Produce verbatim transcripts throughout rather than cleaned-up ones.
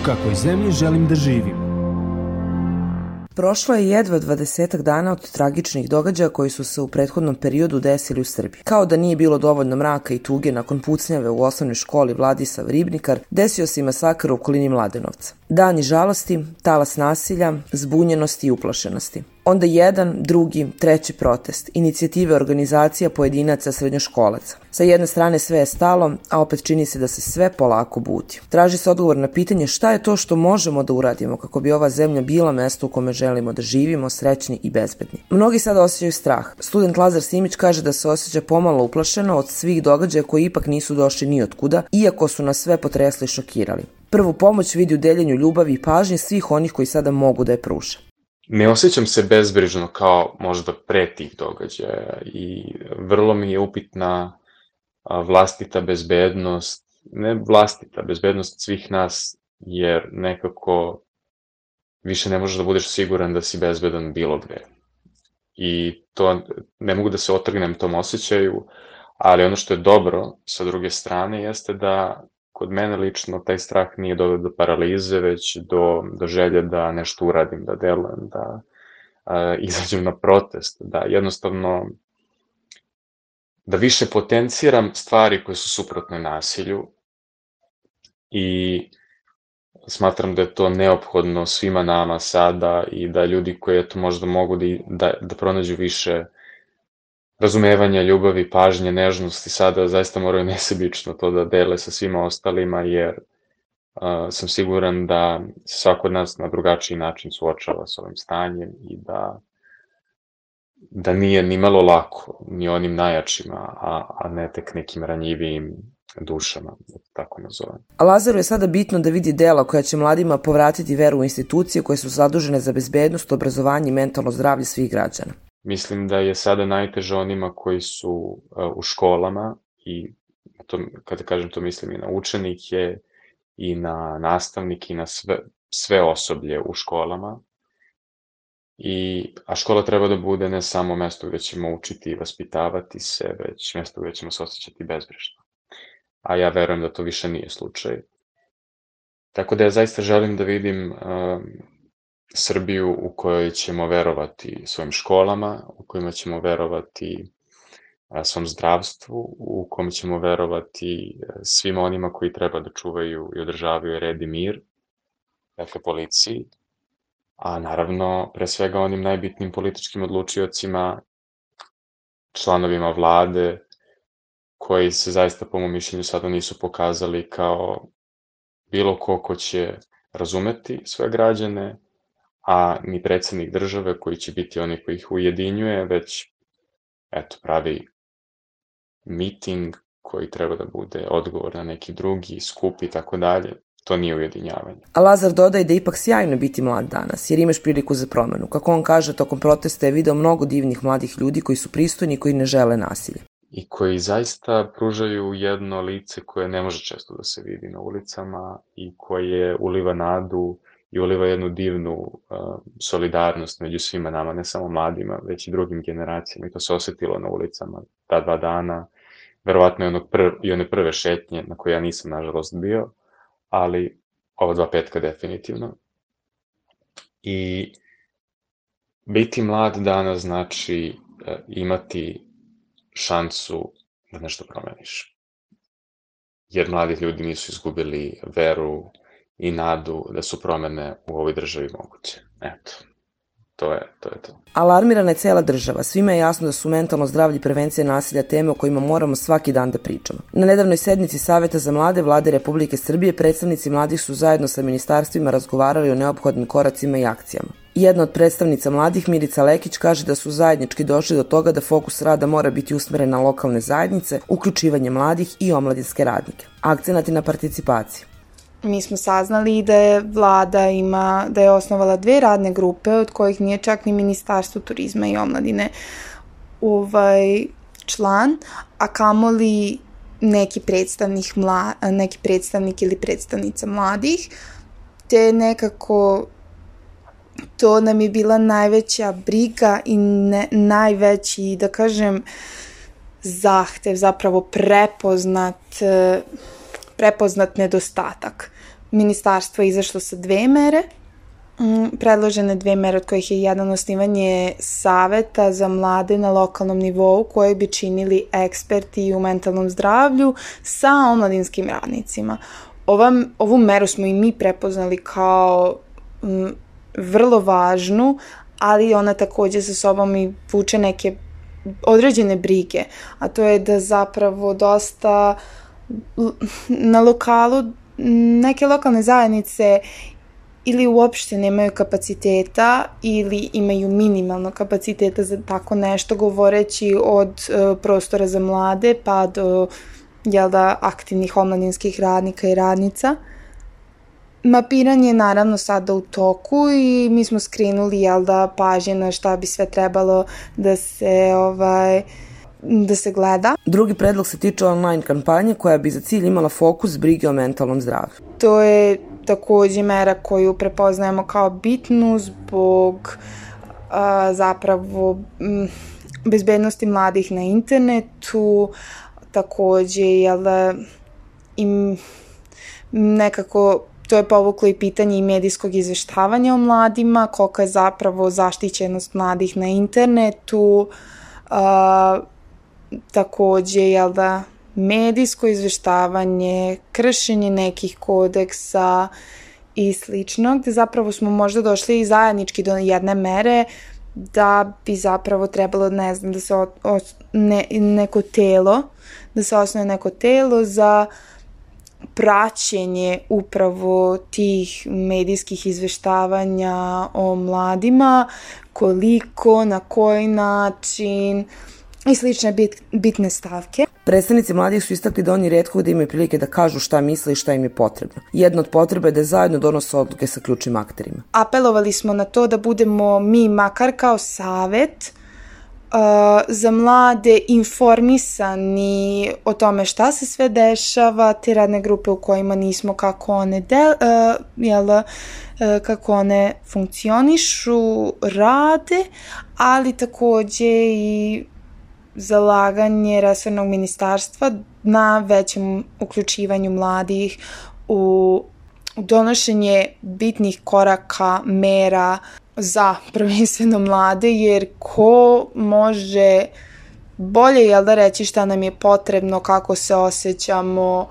kakvoj zemlji želim da živim. Prošlo je jedva dvadesetak dana od tragičnih događaja koji su se u prethodnom periodu desili u Srbiji. Kao da nije bilo dovoljno mraka i tuge nakon pucnjave u osnovnoj školi Vladislav Ribnikar, desio se i masakr u okolini Mladenovca. Dani žalosti, talas nasilja, zbunjenosti i uplašenosti. Onda jedan, drugi, treći protest, inicijative organizacija pojedinaca srednjoškolaca. Sa jedne strane sve je stalo, a opet čini se da se sve polako budi. Traži se odgovor na pitanje šta je to što možemo da uradimo kako bi ova zemlja bila mesto u kome želimo da živimo, srećni i bezbedni. Mnogi sada osjećaju strah. Student Lazar Simić kaže da se osjeća pomalo uplašeno od svih događaja koji ipak nisu došli ni od kuda, iako su nas sve potresli i šokirali. Prvu pomoć vidi u deljenju ljubavi i pažnje svih onih koji sada mogu da je pruže. Ne osjećam se bezbrižno kao možda pre tih događaja i vrlo mi je upitna vlastita bezbednost, ne vlastita bezbednost svih nas, jer nekako više ne možeš da budeš siguran da si bezbedan bilo gde. I to ne mogu da se otrgnem tom osjećaju, ali ono što je dobro sa druge strane jeste da kod mene lično taj strah nije doveo do paralize, već do, do želje da nešto uradim, da delujem, da a, izađem na protest, da jednostavno da više potenciram stvari koje su suprotne nasilju i smatram da je to neophodno svima nama sada i da ljudi koji eto možda mogu da, da, da pronađu više razumevanja, ljubavi, pažnje, nežnosti sada zaista moraju nesebično to da dele sa svima ostalima, jer uh, sam siguran da se svako od nas na drugačiji način suočava s ovim stanjem i da, da nije ni malo lako, ni onim najjačima, a, a ne tek nekim ranjivijim dušama, da tako nazovem. A Lazaru je sada bitno da vidi dela koja će mladima povratiti veru u institucije koje su zadužene za bezbednost, obrazovanje i mentalno zdravlje svih građana. Mislim da je sada najteže onima koji su uh, u školama i to, kada kažem to mislim i na učenike i na nastavnike i na sve, sve osoblje u školama. I, a škola treba da bude ne samo mesto gde ćemo učiti i vaspitavati se, već mesto gde ćemo se osjećati bezbrižno. A ja verujem da to više nije slučaj. Tako da ja zaista želim da vidim uh, Srbiju u kojoj ćemo verovati svojim školama, u kojima ćemo verovati svom zdravstvu, u kojem ćemo verovati svima onima koji treba da čuvaju i održavaju red i mir, dakle policiji, a naravno pre svega onim najbitnijim političkim odlučiocima, članovima vlade, koji se zaista po mom mišljenju sada nisu pokazali kao bilo ko ko će razumeti svoje građane, a ni predsednik države koji će biti oni koji ih ujedinjuje, već eto, pravi miting koji treba da bude odgovor na neki drugi skup i tako dalje. To nije ujedinjavanje. A Lazar dodaje da je ipak sjajno biti mlad danas, jer imaš priliku za promenu. Kako on kaže, tokom protesta je video mnogo divnih mladih ljudi koji su pristojni i koji ne žele nasilje. I koji zaista pružaju jedno lice koje ne može često da se vidi na ulicama i koje uliva nadu i uliva jednu divnu uh, solidarnost među svima nama, ne samo mladima, već i drugim generacijama. I to se osetilo na ulicama ta dva dana, verovatno i, onog prv, i one prve šetnje na koje ja nisam, nažalost, bio, ali ova dva petka definitivno. I biti mlad danas znači uh, imati šansu da nešto promeniš. Jer mladi ljudi nisu izgubili veru i nadu da su promene u ovoj državi moguće. Eto, to je to. Je to. Alarmirana je cela država. Svima je jasno da su mentalno zdravlje i prevencija nasilja teme o kojima moramo svaki dan da pričamo. Na nedavnoj sednici Saveta za mlade Vlade Republike Srbije predstavnici mladih su zajedno sa ministarstvima razgovarali o neophodnim koracima i akcijama. Jedna od predstavnica mladih, Milica Lekić, kaže da su zajednički došli do toga da fokus rada mora biti usmeren na lokalne zajednice, uključivanje mladih i omladinske radnike. Akcenat je na participaciji. Mi smo saznali da je vlada ima, da je osnovala dve radne grupe, od kojih nije čak ni Ministarstvo turizma i omladine ovaj član, a kamoli neki predstavnik, mla, neki predstavnik ili predstavnica mladih, te nekako to nam je bila najveća briga i ne, najveći, da kažem, zahtev, zapravo prepoznat, prepoznat nedostatak ministarstvo izašlo sa dve mere, predložene dve mere od kojih je jedan osnivanje saveta za mlade na lokalnom nivou koje bi činili eksperti u mentalnom zdravlju sa omladinskim radnicima. Ova, ovu meru smo i mi prepoznali kao m, vrlo važnu, ali ona takođe sa sobom i vuče neke određene brige, a to je da zapravo dosta na lokalu neke lokalne zajednice ili uopšte nemaju kapaciteta ili imaju minimalno kapaciteta za tako nešto, govoreći od uh, prostora za mlade pa do jel da, aktivnih omladinskih radnika i radnica. Mapiranje je naravno sada u toku i mi smo skrenuli jel da, pažnje na šta bi sve trebalo da se ovaj, da se gleda. Drugi predlog se tiče online kampanje koja bi za cilj imala fokus brige o mentalnom zdravlju. To je takođe mera koju prepoznajemo kao bitnu zbog a, zapravo m, bezbednosti mladih na internetu, takođe jel da, im nekako to je povuklo i pitanje i medijskog izveštavanja o mladima, kolika je zapravo zaštićenost mladih na internetu, a, takođe, jel da, medijsko izveštavanje, kršenje nekih kodeksa i slično, gde zapravo smo možda došli i zajednički do jedne mere da bi zapravo trebalo, ne znam, da se o, o, ne, neko telo, da se osnuje neko telo za praćenje upravo tih medijskih izveštavanja o mladima, koliko, na koji način i slične bit, bitne stavke. Predstavnici mladih su istakli da oni retko da imaju prilike da kažu šta misle i šta im je potrebno. Jedna od potreba je da zajedno donose odluke sa ključnim akterima. Apelovali smo na to da budemo mi makar kao savet uh, za mlade informisani o tome šta se sve dešava, te radne grupe u kojima nismo, kako one, del, uh, jel, uh, kako one funkcionišu, rade, ali takođe i zalaganje resornog ministarstva na većem uključivanju mladih u donošenje bitnih koraka, mera za prvenstveno mlade, jer ko može bolje, jel da, reći šta nam je potrebno, kako se osjećamo,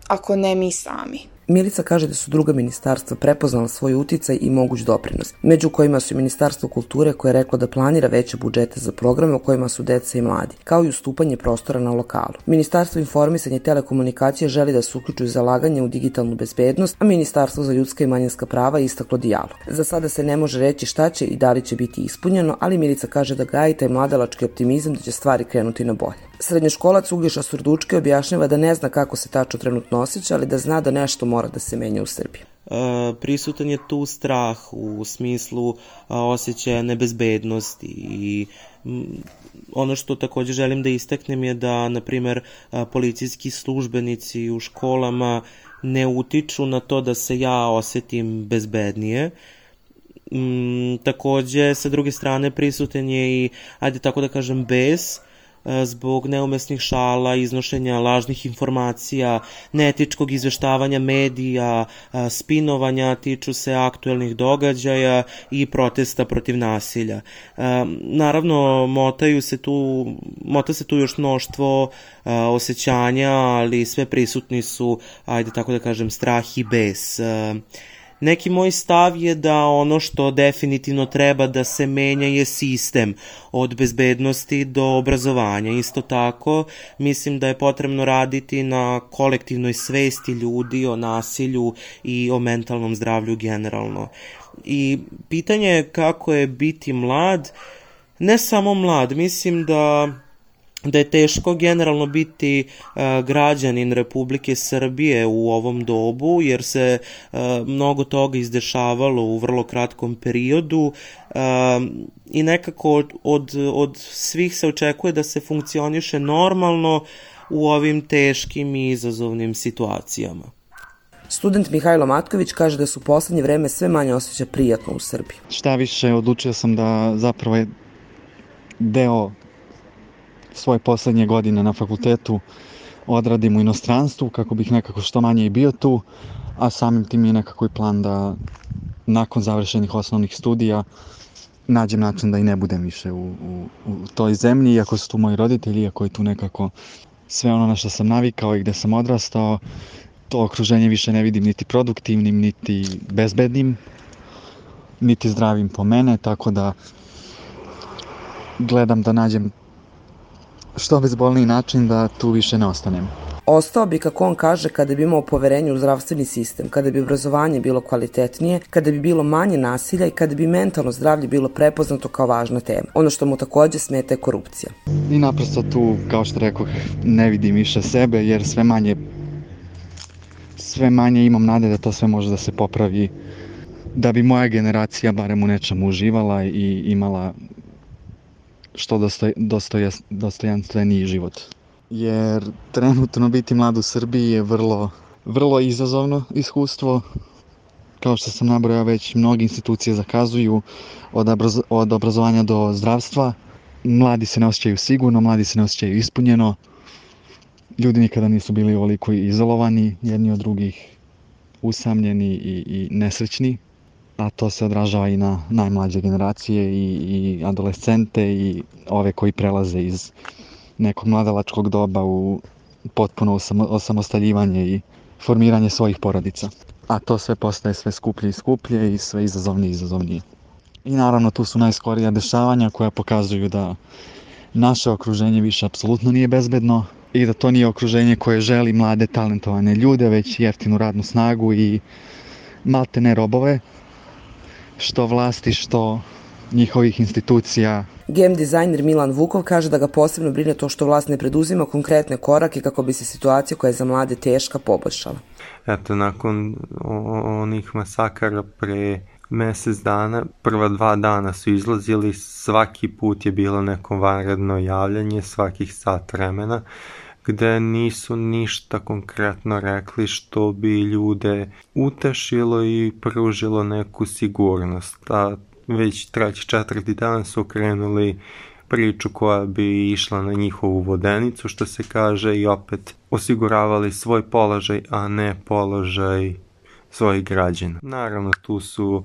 ako ne mi sami. Milica kaže da su druga ministarstva prepoznala svoj uticaj i moguć doprinos, među kojima su i Ministarstvo kulture koje je reklo da planira veće budžete za programe u kojima su deca i mladi, kao i ustupanje prostora na lokalu. Ministarstvo informisanja i telekomunikacije želi da se uključuju zalaganje u digitalnu bezbednost, a Ministarstvo za ljudska i manjinska prava je istaklo dijalog. Za sada se ne može reći šta će i da li će biti ispunjeno, ali Milica kaže da gaji taj mladalački optimizam da će stvari krenuti na bolje. Srednjoškolac Uglješa Surdučki objašnjava da ne zna kako se tačno trenutno osjeća, ali da zna da nešto mora da se menja u Srbiji. E, prisutan je tu strah u smislu a, osjećaja nebezbednosti i m, ono što takođe želim da istaknem je da, na primer, a, policijski službenici u školama ne utiču na to da se ja osetim bezbednije. M, takođe, sa druge strane, prisutan je i, ajde tako da kažem, bes, zbog neumesnih šala, iznošenja lažnih informacija, neetičkog izveštavanja medija, spinovanja, tiču se aktuelnih događaja i protesta protiv nasilja. Naravno, motaju se tu, mota se tu još mnoštvo osjećanja, ali sve prisutni su, ajde tako da kažem, strah i bes. Neki moj stav je da ono što definitivno treba da se menja je sistem, od bezbednosti do obrazovanja. Isto tako, mislim da je potrebno raditi na kolektivnoj svesti ljudi o nasilju i o mentalnom zdravlju generalno. I pitanje je kako je biti mlad, ne samo mlad, mislim da da je teško generalno biti uh, građanin Republike Srbije u ovom dobu, jer se uh, mnogo toga izdešavalo u vrlo kratkom periodu uh, i nekako od, od, od svih se očekuje da se funkcioniše normalno u ovim teškim i izazovnim situacijama. Student Mihajlo Matković kaže da su u poslednje vreme sve manje osjeća prijatno u Srbiji. Šta više, odlučio sam da zapravo je deo svoje poslednje godine na fakultetu odradim u inostranstvu kako bih nekako što manje i bio tu, a samim tim je nekako i plan da nakon završenih osnovnih studija nađem način da i ne budem više u, u, u toj zemlji, iako su tu moji roditelji, iako je tu nekako sve ono na što sam navikao i gde sam odrastao, to okruženje više ne vidim niti produktivnim, niti bezbednim, niti zdravim po mene, tako da gledam da nađem što bezbolniji način da tu više ne ostanem. Ostao bi, kako on kaže, kada bi imao poverenje u zdravstveni sistem, kada bi obrazovanje bilo kvalitetnije, kada bi bilo manje nasilja i kada bi mentalno zdravlje bilo prepoznato kao važna tema. Ono što mu takođe smeta je korupcija. I naprosto tu, kao što rekoh, ne vidim više sebe jer sve manje sve manje imam nade da to sve može da se popravi, da bi moja generacija barem u nečemu uživala i imala što dostoj, dostoj, dostojanstveniji život. Jer trenutno biti mlad u Srbiji je vrlo, vrlo izazovno iskustvo. Kao što sam nabrojao već, mnoge institucije zakazuju od, obraz, od obrazovanja do zdravstva. Mladi se ne osjećaju sigurno, mladi se ne osjećaju ispunjeno. Ljudi nikada nisu bili ovoliko izolovani, jedni od drugih, usamljeni i, i nesrećni. A to se odražava i na najmlađe generacije i, i adolescente i ove koji prelaze iz nekog mladalačkog doba u potpuno osamostaljivanje i formiranje svojih porodica. A to sve postaje sve skuplje i skuplje i sve izazovnije i izazovnije. I naravno tu su najskorija dešavanja koja pokazuju da naše okruženje više apsolutno nije bezbedno i da to nije okruženje koje želi mlade talentovane ljude, već jeftinu radnu snagu i malte ne robove, što vlasti, što njihovih institucija. Game dizajner Milan Vukov kaže da ga posebno brine to što vlast ne preduzima konkretne korake kako bi se situacija koja je za mlade teška poboljšala. Eto, nakon onih masakara pre mesec dana, prva dva dana su izlazili, svaki put je bilo neko vanredno javljanje, svakih sat vremena, gde nisu ništa konkretno rekli što bi ljude utešilo i pružilo neku sigurnost. A već treći, četvrti dan su krenuli priču koja bi išla na njihovu vodenicu, što se kaže, i opet osiguravali svoj položaj, a ne položaj svojih građana. Naravno, tu su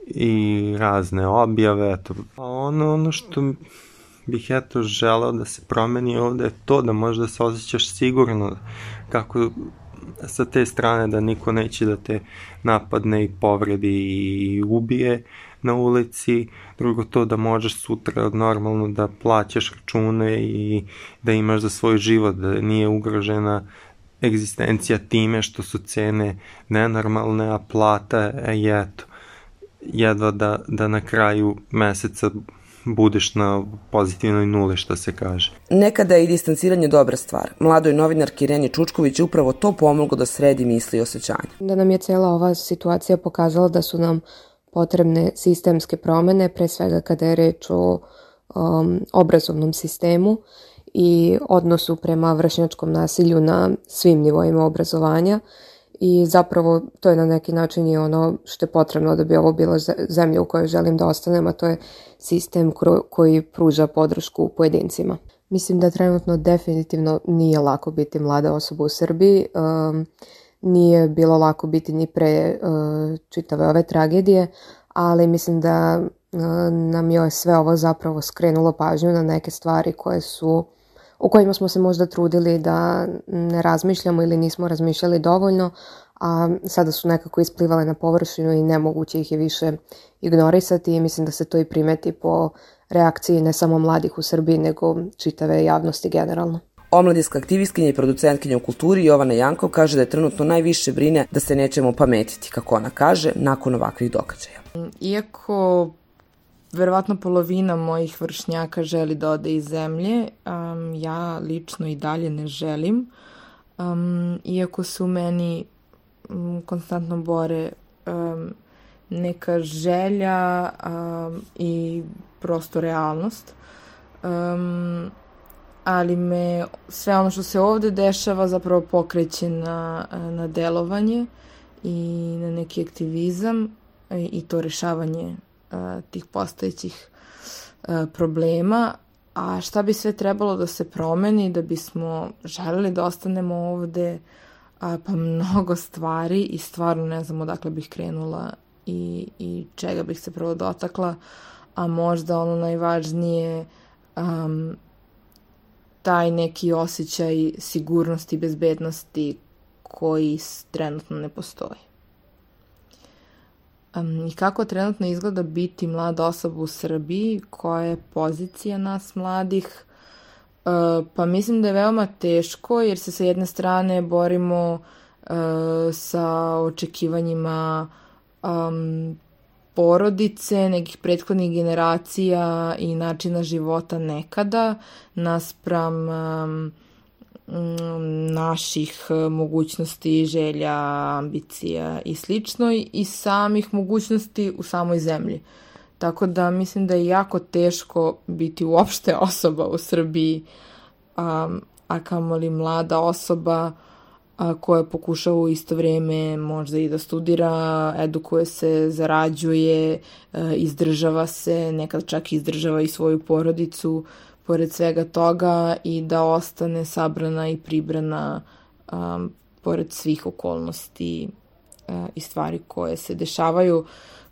i razne objave, eto. A ono, ono što bih eto želeo da se promeni ovde je to da možda se osjećaš sigurno, kako sa te strane da niko neće da te napadne i povredi i ubije na ulici, drugo to da možeš sutra normalno da plaćaš račune i da imaš za svoj život, da nije ugrožena egzistencija time što su cene nenormalne, a plata je eto, jedva da, da na kraju meseca budeš na pozitivnoj nuli, što se kaže. Nekada je i distanciranje dobra stvar. Mladoj novinarki Ireni Čučković je upravo to pomoglo da sredi misli i osjećanja. Da nam je cela ova situacija pokazala da su nam potrebne sistemske promene, pre svega kada je reč o um, obrazovnom sistemu i odnosu prema vršnjačkom nasilju na svim nivoima obrazovanja. I zapravo to je na neki način i ono što je potrebno da bi ovo bila zemlja u kojoj želim da ostanem, a to je sistem koji pruža podršku pojedincima. Mislim da trenutno definitivno nije lako biti mlada osoba u Srbiji, um, nije bilo lako biti ni pre uh, čitave ove tragedije, ali mislim da uh, nam je sve ovo zapravo skrenulo pažnju na neke stvari koje su o kojima smo se možda trudili da ne razmišljamo ili nismo razmišljali dovoljno, a sada su nekako isplivale na površinu i nemoguće ih je više ignorisati i mislim da se to i primeti po reakciji ne samo mladih u Srbiji, nego čitave javnosti generalno. Omladinska aktivistkinja i producentkinja u kulturi Jovana Jankov kaže da je trenutno najviše brine da se nećemo pametiti, kako ona kaže, nakon ovakvih događaja. Iako verovatno polovina mojih vršnjaka želi da ode iz zemlje, um, ja lično i dalje ne želim, um, iako se u meni um, konstantno bore um, neka želja um, i prosto realnost. Um, ali me sve ono što se ovde dešava zapravo pokreće na, na delovanje i na neki aktivizam i, i to rešavanje a, tih postojećih a, problema. A šta bi sve trebalo da se promeni da bismo želeli da ostanemo ovde, a, pa mnogo stvari i stvarno ne znam odakle bih krenula i, i čega bih se prvo dotakla, a možda ono najvažnije, um, taj neki osjećaj sigurnosti i bezbednosti koji trenutno ne postoji. Um, I kako trenutno izgleda biti mlada osoba u Srbiji, koja je pozicija nas mladih? Uh, pa mislim da je veoma teško, jer se sa jedne strane borimo uh, sa očekivanjima um, porodice, nekih prethodnih generacija i načina života nekada, naspram um, naših mogućnosti, želja, ambicija i slično, i samih mogućnosti u samoj zemlji. Tako da mislim da je jako teško biti uopšte osoba u Srbiji, a, a kamoli mlada osoba a, koja pokušava u isto vrijeme možda i da studira, edukuje se, zarađuje, a, izdržava se, nekad čak izdržava i svoju porodicu pored svega toga, i da ostane sabrana i pribrana um, pored svih okolnosti uh, i stvari koje se dešavaju,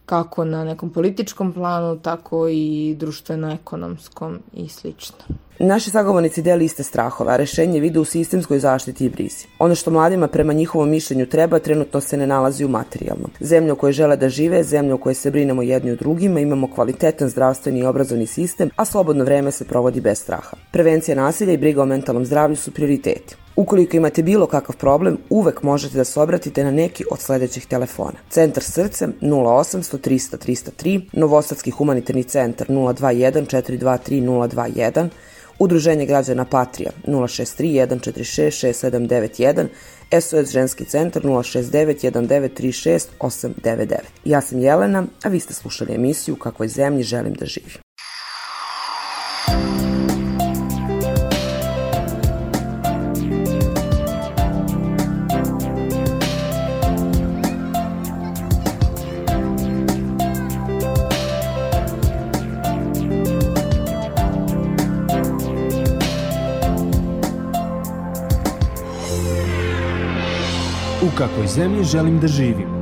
kako na nekom političkom planu, tako i društveno-ekonomskom i slično. Naši sagovornici deli iste strahove, a rešenje vide u sistemskoj zaštiti i brizi. Ono što mladima prema njihovom mišljenju treba, trenutno se ne nalazi u materijalnom. Zemlja u kojoj žele da žive, zemlja u kojoj se brinemo jedni o drugima, imamo kvalitetan zdravstveni i obrazovni sistem, a slobodno vreme se provodi bez straha. Prevencija nasilja i briga o mentalnom zdravlju su prioriteti. Ukoliko imate bilo kakav problem, uvek možete da se obratite na neki od sledećih telefona. Centar Srce nula osamsto trista trista tri, Novosadski humanitarni centar nula dva jedan četiri dva tri nula dva jedan, Udruženje građana Patrija nula šest tri jedan četiri šest šest sedam devet jedan, S O S ženski centar nula šest devet jedan devet tri šest osam devet devet. Ja sam Jelena, a vi ste slušali emisiju U kakvoj zemlji želim da živim. U kakvoj zemlji želim da živim.